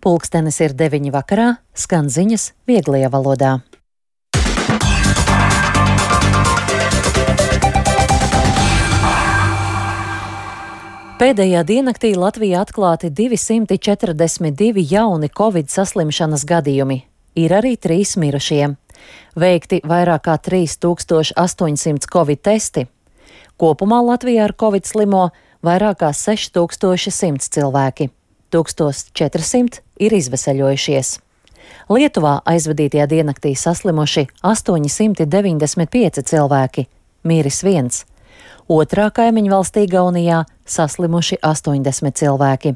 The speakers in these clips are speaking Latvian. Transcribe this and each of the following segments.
Pulkstenis ir 9 vakarā, skan ziņas vieglajā valodā. Pēdējā diennaktī Latvijā atklāti 242 jauni Covid saslimšanas gadījumi. Ir arī 3 mirušie. Veikti vairāk kā 3800 Covid testi. Kopumā Latvijā ar Covid slimo vairāk kā 6100 cilvēki. 1400 ir izveseļojušies. Lietuvā aizvadītajā diennaktī saslimuši 895 cilvēki, miris 1. Otrā kaimiņu valstī Igaunijā saslimuši 80 cilvēki.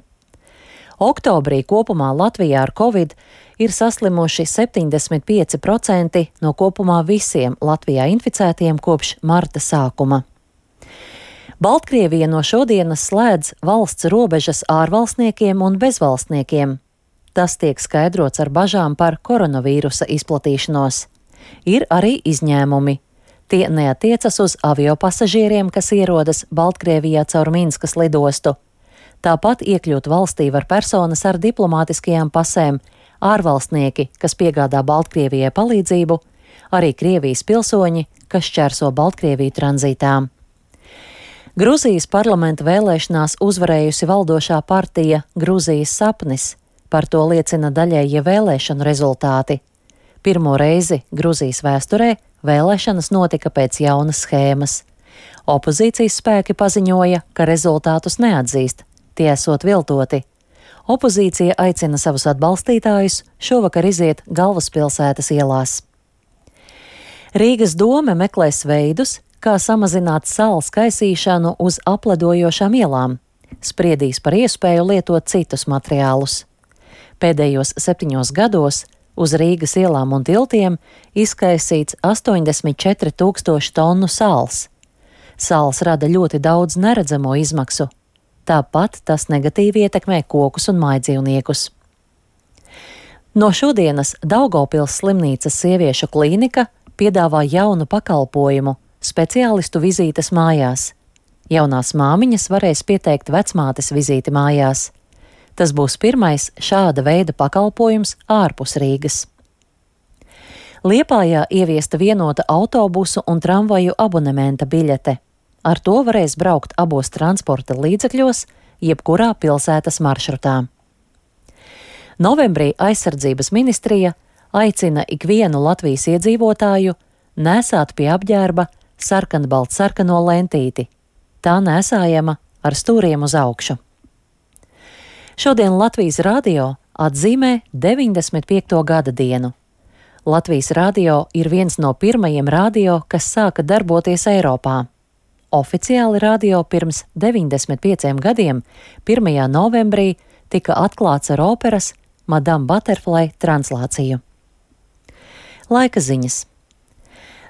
Oktobrī kopumā Latvijā ar Covid ir saslimuši 75% no kopumā visiem Latvijā inficētiem kopš marta sākuma. Baltkrievija no šodienas slēdz valsts robežas ārvalstniekiem un bezvalstniekiem. Tas tiek skaidrots ar bažām par koronavīrusa izplatīšanos. Ir arī izņēmumi. Tie neatiecas uz aviopasažieriem, kas ierodas Baltkrievijā caur Minskas lidostu. Tāpat iekļūt valstī var personas ar diplomātiskajām pasēm, ārvalstnieki, kas piegādā Baltkrievijai palīdzību, arī Krievijas pilsoņi, kas šķērso Baltkrieviju tranzītā. Gruzijas parlamenta vēlēšanās uzvarējusi valdošā partija Gruzijas sapnis. Par to liecina daļējie vēlēšanu rezultāti. Pirmo reizi Gruzijas vēsturē vēlēšanas notika pēc jaunas schēmas. Opozīcijas spēki paziņoja, ka rezultātus neatzīst, tie esot viltoti. Opozīcija aicina savus atbalstītājus šovakar iziet galvaspilsētas ielās. Rīgas dome meklēs veidus, kā samazināt sāls kaisīšanu uz apledojošām ielām. Spriedīs par iespēju lietot citus materiālus. Pēdējos 7 gados uz Rīgas ielām un tiltiem izkaisīts 84 000 tonu sāls. Sāls rada ļoti daudz neredzamo izmaksu. Tāpat tas negatīvi ietekmē kokus un mājdzīvniekus. No šodienas Daugavpils slimnīcas sieviešu klīnika piedāvā jaunu pakalpojumu – speciālistu vizītes mājās. Jaunās māmiņas varēs pieteikt vecmātes vizīti mājās. Tas būs pirmais šāda veida pakalpojums ārpus Rīgas. Liepājā ieviesta vienota autobusu un tramvaju abonementa biļete. Ar to varēs braukt abos transporta līdzekļos, jebkurā pilsētas maršrutā. Novembrī Aizsardzības ministrija aicina ikvienu Latvijas iedzīvotāju nēsāt pie apģērba sarkanbaltsarkano lentīti. Tā nēsājama ar stūriem uz augšu. Šodien Latvijas radio atzīmē 95. gada dienu. Latvijas radio ir viens no pirmajiem radio, kas sāka darboties Eiropā. Oficiāli radio pirms 95 gadiem, 1. novembrī, tika atklāts ar operas Madame Butterfly translāciju. Laika ziņas.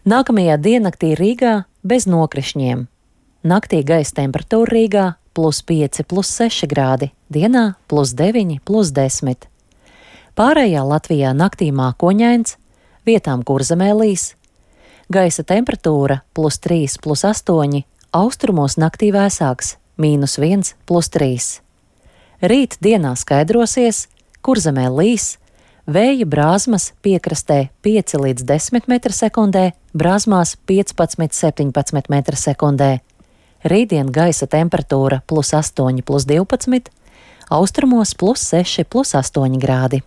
Nākamajā diennaktī Rīgā bez nokrišņiem. Naktī gaisa temperatūra Rīgā +5, +6 grādi, dienā +9, +10. Pārējā Latvijā naktī mākoņains, vietām Kurzemē līs. Gaisa temperatūra +3, +8, austrumos naktī vēsāks, -1, +3. Rīt dienā skaidrosies, Kurzemē līs, vēja brāzmas piekrastē 5 līdz 10 m/sekundē, brāzmās 15–17 m/sekundē. Rītdien gaisa temperatūra +8, +12, austrumos +6, +8 grādi.